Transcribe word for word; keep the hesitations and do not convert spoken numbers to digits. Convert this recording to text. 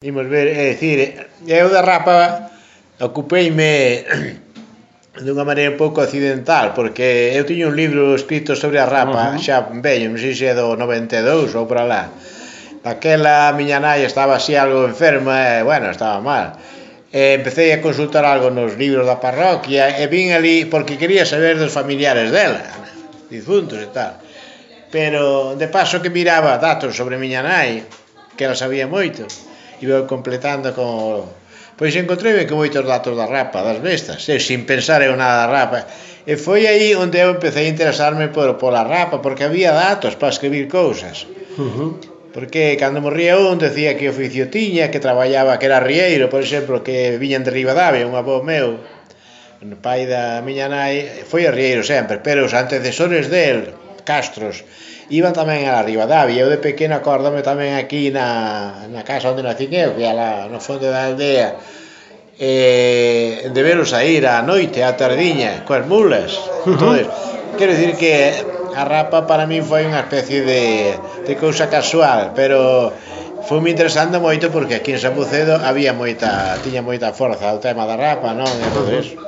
Imos ver, é dicir, eu da rapa ocupeime dunha maneira un pouco accidental, porque eu tiña un libro escrito sobre a rapa, Ujú. xa vello, non sei se é do noventa e dous ou por alá. Daquela miña nai estaba así algo enferma e, bueno, estaba mal. E empecé a consultar algo nos libros da parroquia e vin ali porque quería saber dos familiares dela, difuntos e tal. Pero de paso que miraba datos sobre miña nai, que ela sabía moito, iba completando con... Pois encontreime que moitos datos da rapa, das bestas, e sin pensar eu nada da rapa. E foi aí onde eu empecé a interesarme por, pola rapa, porque había datos para escribir cousas. Ujú. Porque cando morría un decía que oficio tiña, que traballaba, que era rieiro, por exemplo, que viñan de Ribadavia, un avó meu, o pai da miña nai, foi arrieiro sempre, pero os antecesores del, Castros, iban tamén a Ribadavia. Eu de pequeno acórdame tamén aquí na, na casa onde nacín eu, que é lá no fondo da aldea, eh, de veros a ir á noite, á tardiña, coas mulas. Entonces, quero dicir que a rapa para min foi unha especie de, de cousa casual, pero foi moi interesante moito porque aquí en San Bucedo había moita, tiña moita forza o tema da rapa, non? Entonces,